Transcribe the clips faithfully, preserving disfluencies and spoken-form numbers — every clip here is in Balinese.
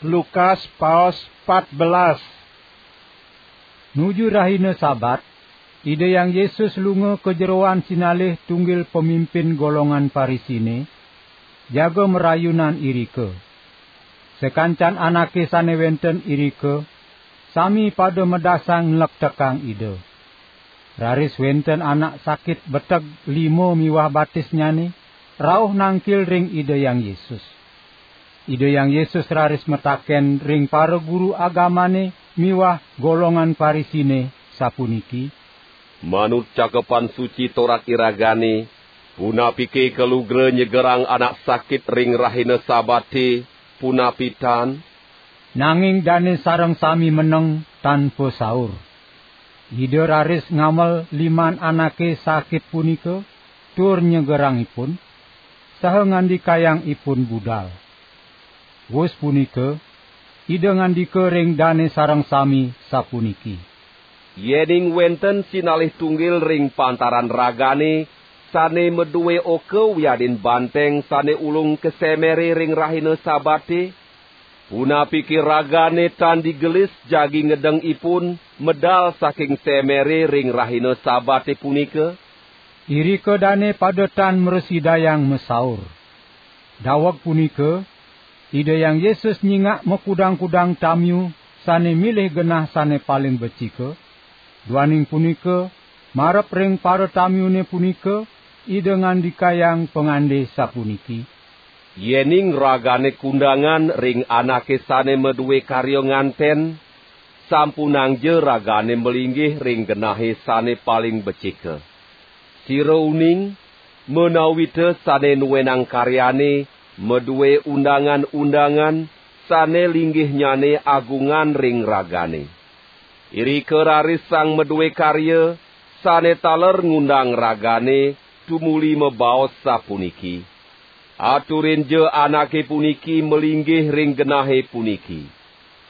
Lukas paos pat belas. Nuju rahina Sabat, Ida Hyang Yesus lunga ka jeroan sinalih tunggil pamimpin golongan Parisine, jaga marayunan irika. Sakancan anake sane wenten irika, sami pada madasang nlektekang Ida. Raris wenten anak sakit beteg lima miwah batisnyane, rauh nangkil ring Ida Hyang Yesus. Ida Hyang Yesus raris mataken ring para guru agamane miwah golongan Parisine, sapuniki: "Manut Cakepan Suci torat iragane, punapike kalugra nyegerang anak sakit ring rahina Sabate, punapi tan?" Nanging dane sareng sami meneng tan pasaur. Ida raris ngamel liman anake sakit punika, tur nyegerang ipun, saha ngandikayang ipun budal. Wus punika, Ida ngandika ring dane sareng sami, sapuniki: "Yening wenten sinalih tunggil ring pantaran ragane sane madue oka wiadin banteng sane ulung ka semere ring rahina Sabate, punapike ragane tan digelis jagi ngedeng ipun medal saking semere ring rahina Sabate punika?" Irika dane pada tan mrasidayang masaur. Daweg punika, Ida Hyang Yesus nyingak makudang-kudang tamiu sane milih genah sane paling becika. Duaning punika, marep ring paratamiune punika, Ida ngandikayang pangande sapuniki: "Yening ragane kundangan ring anake sane madue karya nganten, sampunangja ragane malinggih ring genahe sane paling becika. Sira uning, menawita sane nuenang karyane madue undangan-undangan sane linggihnyane agungan ring ragane. Irika raris sang madue karya sane taler ngundang ragane tumuli mabaos sapuniki: 'Aturinja anake puniki malinggih ring genahe puniki.'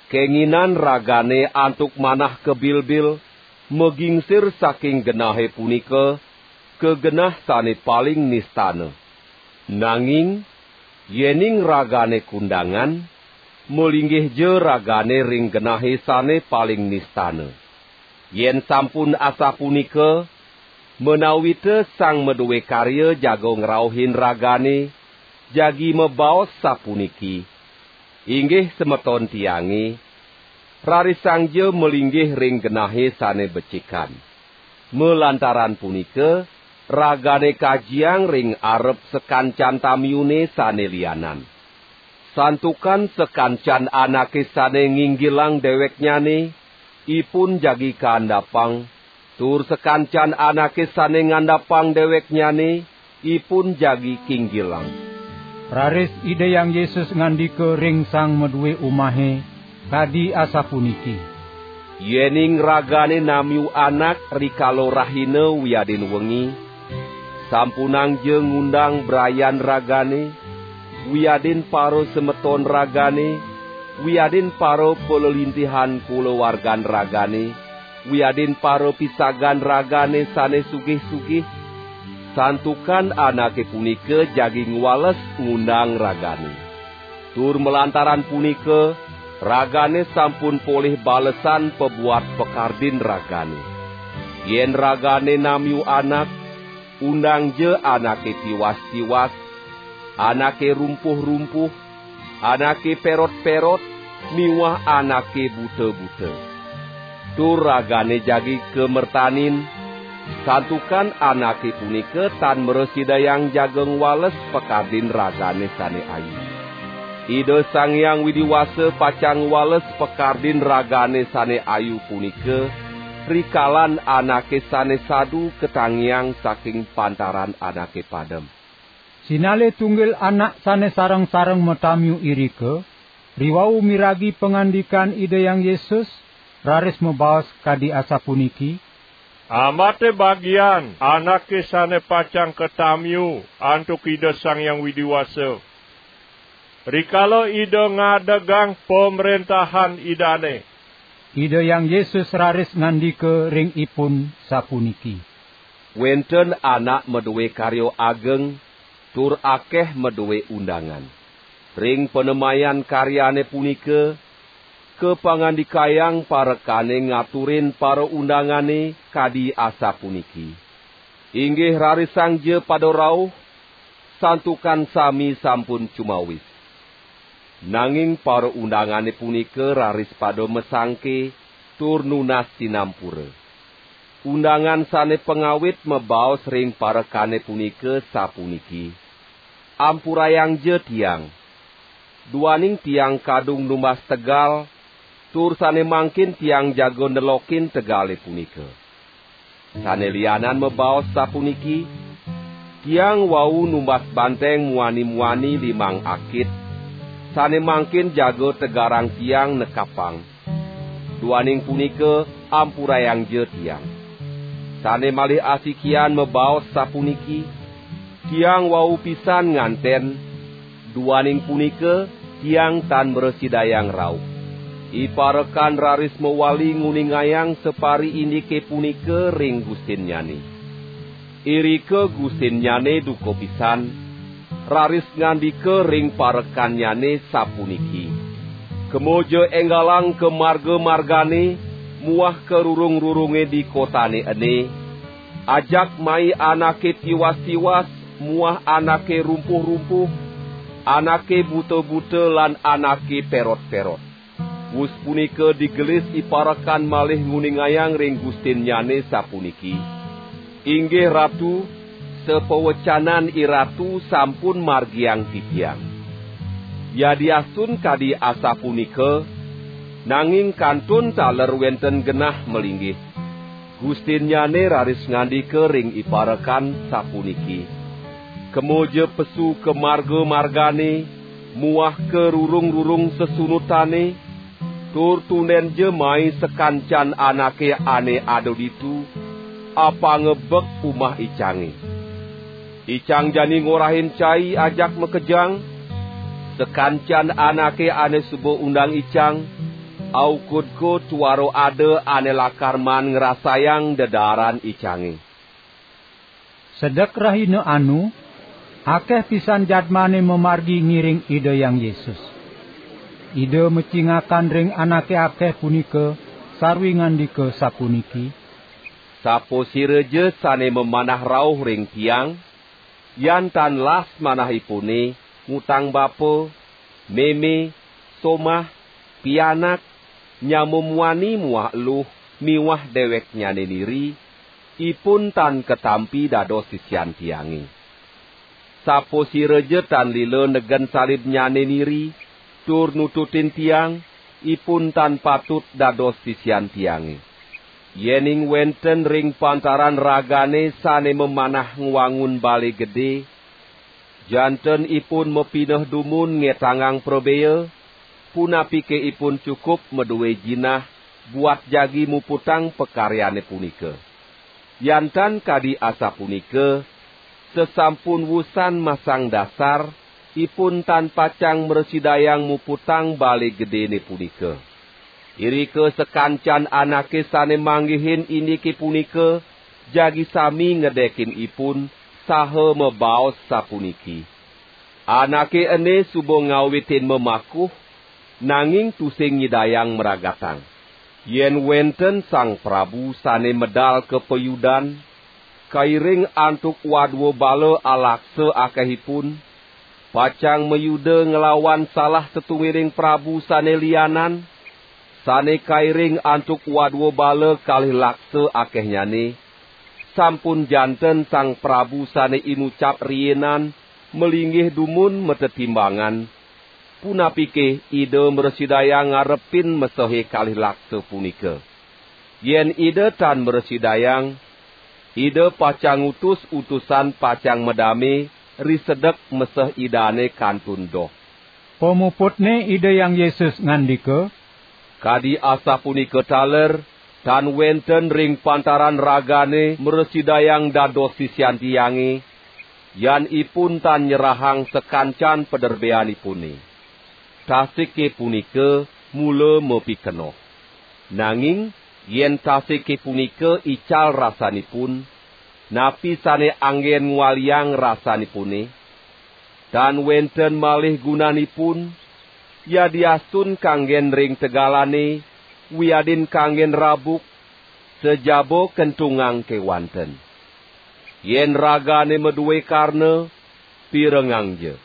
Kenginan ragane antuk manah kabilbil, magingsir saking genahe punika ka genah sane paling nistana. Nanging yening ragane kundangan, malinggihja ragane ring genahe sane paling nistana. Yen sampun asapunika, menawita sang madue karya jaga ngrauhin ragane, jagi mabaos sapuniki: 'Inggih semeton tiange, rarisangja malinggih ring genahe sane becikan.' Malantaran punika, ragane kajiang ring arep sakancan tamiune sane lianan. Santukan sakancan anake sane nginggilang deweknyane, ipun jagi kaandapang, tur sakancan anake sane ngandapang deweknyane, ipun jagi kinggilang." Raris Ida Hyang Yesus ngandika ring sang madue umahe, kadi asapuniki: "Yening ragane namiu anak rikala rahina wiadin wengi, sampunangja ngundang brayan ragane, wiadin para semeton ragane, wiadin para palelintihan kulawargan ragane, wiadin para pisagan ragane sane sugih-sugih, santukan anake punika jagi ngwales ngundang ragane. Tur malantaran punika, ragane sampun polih balesan pabuat pakardin ragane. Yen ragane namiu anak, undangja anake tiwas-tiwas, anake rumpuh-rumpuh, anake perot-perot, miwah anake buta-buta. Tur ragane jagi kamertanin, santukan anake punika tan mrasidayang jaga ngwales pakardin ragane sane ayu. Ida Sang Hyang Widi Wasa pacang ngwales pakardin ragane sane ayu punika, rikalan anake sane sadu katangiang saking pantaran anake padem." Sinalih tunggil anak sane sareng-sareng matamiu irika, riwau miragi pangandikan Ida Hyang Yesus, raris mabaos kadi asapuniki: "Amate bagian anake sane pacang katamiu antuk Ida Sang Hyang Widi Wasa, rikala Ida ngadegang pamrentahan Idane." Ida Hyang Yesus raris ngandika ring ipun sapuniki: "Wenten anak madue karya ageng, tur akeh madue undangan. Ring panemayan karyane punika, kapangandikayang parekane ngaturin paraundangane kadi asapuniki: "Inggih rarisangja pada rauh, santukan sami sampun cumawis." Nanging paraundangane punika raris pada masangke tur nunas sinampura. Undangan sane pangawit mabaos ring parekane punika sapuniki: "Ampurayangja tiang. Duaning tiang kadung numbas tegal, tur sane mangkin tiang jaga nelokin tegale punika." Sane lianan mabaos sapuniki: "Tiang wau numbas banteng muani-muani limang akit, sane mangkin jaga tegarang tiang nekapang. Duaning punika, ampurayangja tiang." Sane malih asikian mabaos sapuniki: "Tiang wau pisan nganten, duaning punika tiang tan mrasidayang rauh." Iparekan raris mawali nguningayang sapariindike punika ring gustinnyane. Irika gustinnyane duka pisan, raris ngandika ring parekannyane sapuniki: "Kemaja enggalang ka marga-margane muah ka rurung-rurunge di kotane ene, ajak mai anake tiwas-tiwas muah anake rumpuh-rumpuh, anake buta-buta lan anake perot-perot." Wus punika digelis iparekan malih nguningayang ring gustinnyane sapuniki: "Inggih Ratu, sapawecanan iratu sampun margiang titiang." Yadiastun kadi asapunika, nanging kantun taler wenten genah malinggih. Gustinnyane raris ngandika ring iparekan sapuniki: "Kemaja pesu ka marga-margane muah ka rurung-rurung sesunutane, tur tundenja mai sakancan anake ane ada ditu, apanga bek umah icange. Icang jani ngorahin cai ajak makejang, sakancan anake ane suba undang icang, aukud ko tuara ada ane lakar maan ngrasayang dedaaran icange." Sedek rahina anu, akeh pisan jadmane mamargi ngiring Ida Hyang Yesus. Ida macingakan ring anake akeh punika sarwi ngandika sapuniki: "Sapasiraja sane mamanah rauh ring tiang, yan tan las manahipune ngutang bapa, meme, somah, pianak, nyama muani muah eluh miwah deweknyane niri, ipun tan katampi dados sisian tiange. Sapasiraja tan lila negen salibnyane niri tur nututin tiang, ipun tan patut dados sisian tiange. Yening wenten ring pantaran ragane sane mamanah ngwangun bale gede, janten ipun mapineh dumun ngetangang prabea, punapike ipun cukup madue jinah buat jagi muputang pakaryane punika. Yan tan kadi asapunika, sasampun wusan masang dasar, ipun tan pacang mrasidayang muputang bale gedene punika." Irika sakancan anake sane manggihin indike punika jagi sami ngedekin ipun saha mabaos sapuniki: "Anake ene suba ngawitin mamakuh, nanging tusing nyidayang mragatang. Yen wenten sang prabu sane medal ka payudan, kairing antuk wadua bala alaksa akehipun, pacang mayuda nglawan salah satunggiling prabu sane lianan, sane kairing antuk wadua bala kalih laksa akehnyane, sampun janten sang prabu sane inucap riinan malinggih dumun matetimbangan, punapike ida mrasidayang ngarepin mesehe kalih laksa punika? Yen ida tan mrasidayang, ida pacang ngutus utusan pacang madame risedek meseh idane kantun doh." Pamuputne Ida Hyang Yesus ngandika: "Kadi asapunika taler, tan wenten ring pantaran ragane mrasidayang dados sisian tiange, yan ipun tan nyerahang sakancan paderbeanipune. Tasike punika mula mapikenoh. Nanging yen tasike punika ical rasanipun, napi sane anggen ngwaliang rasanipune? Tan wenten malih gunanipun, yadiastun kanggen ring tegalane, wiadin kanggen rabuk, sejaba kentungang kewanten. Yen ragane madue karna, pirengangja.